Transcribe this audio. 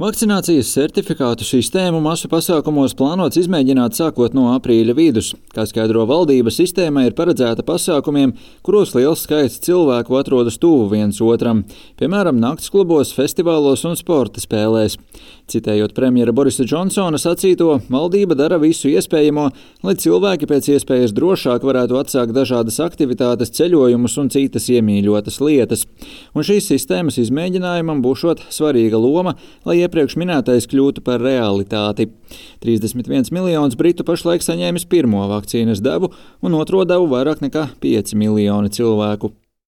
Vakcinācijas certifikātu sistēmu masu pasākumos plānots izmēģināt sākot no aprīļa vidus. Kā skaidro valdība, sistēma ir paredzēta pasākumiem, kuros liels skaits cilvēku atrodas tuvu viens otram, piemēram, naktsklubos, festivālos un sporta spēlēs. Citējot premjera Borisa Džonsona sacīto, valdība dara visu iespējamo, lai cilvēki pēc iespējas drošāk varētu atsākt dažādas aktivitātes, ceļojumus un citas iemīļotas lietas. Un šīs sistēmas izmēģinājumam būšot svarīga loma, lai iepriekš minētais kļūtu par realitāti. 31 miljonus britu pašlaik saņēmis pirmo vakcīnas devu un otro devu vairāk nekā 5 miljoni cilvēku.